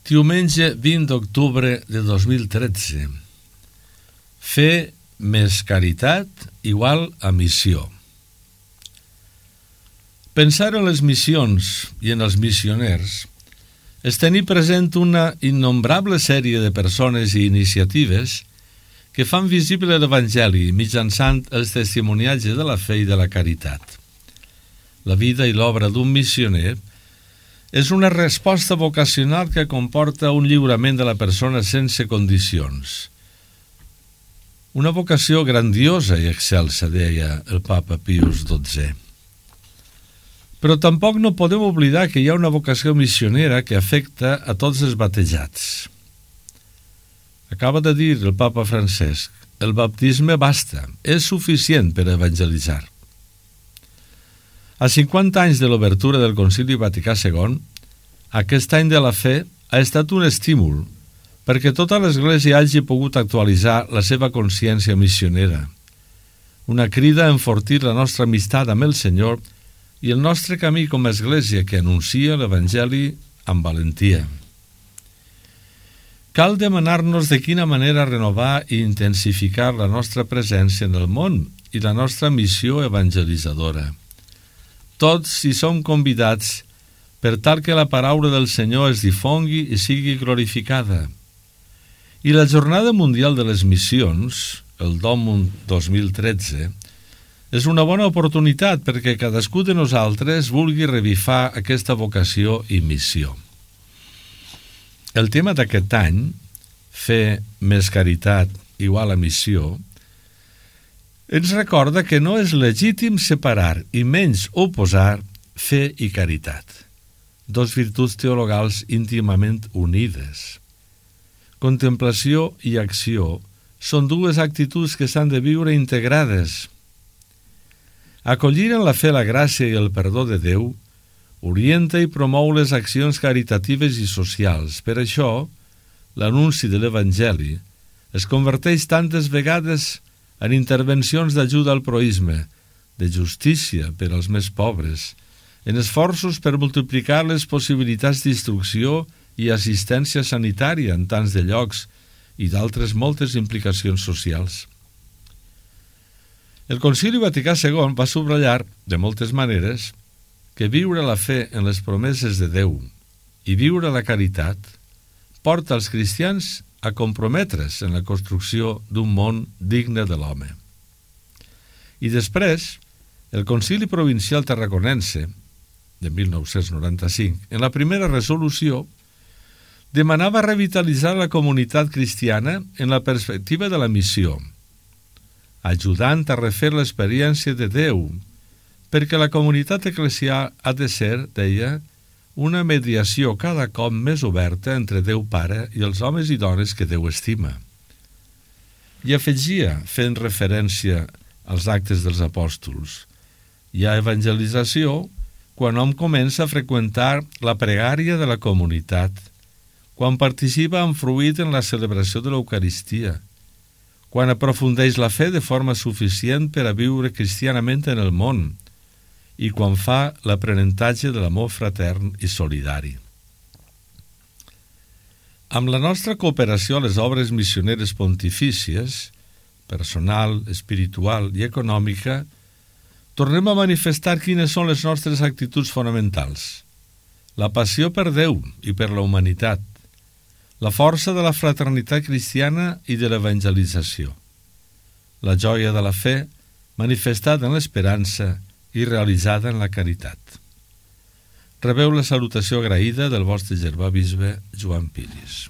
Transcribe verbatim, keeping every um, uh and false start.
Diumenge vint d'octubre de dos mil tretze. Fer més caritat igual a missió. Pensar en les missions i en els missioners és tenir present una innombrable sèrie de persones i iniciatives que fan visible l'Evangeli mitjançant els testimoniatges de la fe i de la caritat. La vida i l'obra d'un missioner és una resposta vocacional que comporta un lliurament de la persona sense condicions. Una vocació grandiosa i excelsa, deia el papa Pius dotzè. Però tampoc no podem oblidar que hi ha una vocació missionera que afecta a tots els batejats. Acaba de dir el papa Francesc, el baptisme basta, és suficient per evangelitzar. A cinquanta anys de l'obertura del Concili Vaticà segon, aquest any de la fe ha estat un estímul perquè tota l'Església hagi pogut actualitzar la seva consciència missionera, una crida a enfortir la nostra amistat amb el Senyor i el nostre camí com a Església que anuncia l'Evangeli amb valentia. Cal demanar-nos de quina manera renovar i intensificar la nostra presència en el món i la nostra missió evangelitzadora. Tots hi som convidats per tal que la paraula del Senyor es difongui i sigui glorificada. I la Jornada Mundial de les Missions, el Domum dos mil tretze, és una bona oportunitat perquè cadascú de nosaltres vulgui revifar aquesta vocació i missió. El tema d'aquest any, fer més caritat igual a missió, ens recorda que no és legítim separar i menys oposar fe i caritat, dos virtuts teologals íntimament unides. Contemplació i acció són dues actituds que s'han de viure integrades. Acollir en la fe la gràcia i el perdó de Déu orienta i promou les accions caritatives i socials. Per això, l'anunci de l'Evangeli es converteix tantes vegades en intervencions d'ajuda al proïsme, de justícia per als més pobres, en esforços per multiplicar les possibilitats d'instrucció i assistència sanitària en tants de llocs i d'altres moltes implicacions socials. El Concili Vaticà segon va subratllar, de moltes maneres, que viure la fe en les promeses de Déu i viure la caritat porta els cristians a comprometre's en la construcció d'un món digne de l'home. I després, el Concili Provincial Tarraconense, de mil nou-cents noranta-cinc, en la primera resolució, demanava revitalitzar la comunitat cristiana en la perspectiva de la missió, ajudant a refer l'experiència de Déu, perquè la comunitat eclesial ha de ser, deia, una mediació cada cop més oberta entre Déu Pare i els homes i dones que Déu estima. I afegia, fent referència als actes dels apòstols, hi ha evangelització quan hom comença a freqüentar la pregària de la comunitat, quan participa amb fruit en la celebració de l'Eucaristia, quan aprofundeix la fe de forma suficient per a viure cristianament en el món, i quan fa l'aprenentatge de l'amor fratern i solidari. Amb la nostra cooperació a les obres missioneres pontifícies, personal, espiritual i econòmica, tornem a manifestar quines són les nostres actituds fonamentals: la passió per Déu i per la humanitat, la força de la fraternitat cristiana i de l'evangelització, la joia de la fe manifestada en l'esperança i realitzada en la caritat. Rebeu la salutació agraïda del vostre germà bisbe Joan Piris.